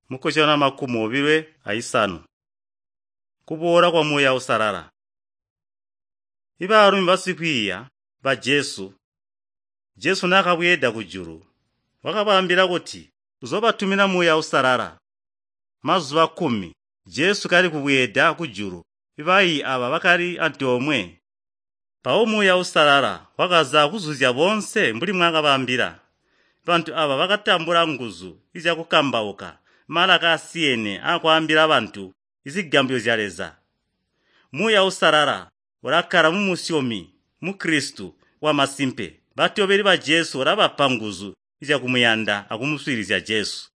Mukozyano 25. Kuboola kwa Muuya Uusalala. Ibaalumi basikwiiya ba Jesu, Jesu naakabweeda kujulu, wakabaambila kuti uzoobatumina Muuya Uusalala. Mazuba 10 Jesu kali kubweeda kujulu, baiyi aba bakali antoomwe. Mpawo Muuya Uusalala wakaza kuzuzya boonse mbuli mwaakabaambila. Bantu aba bakatambula nguzu zyakukambauka malaka asiyene aakwaambila bantu zigambyo zya Leza. Muuya Uusalala ulakkala mumusyomi Mukristu wamasimpe. Batobeli ba Jesu ulabapa nguzu zyakumuyanda akumuswiilizya Jesu.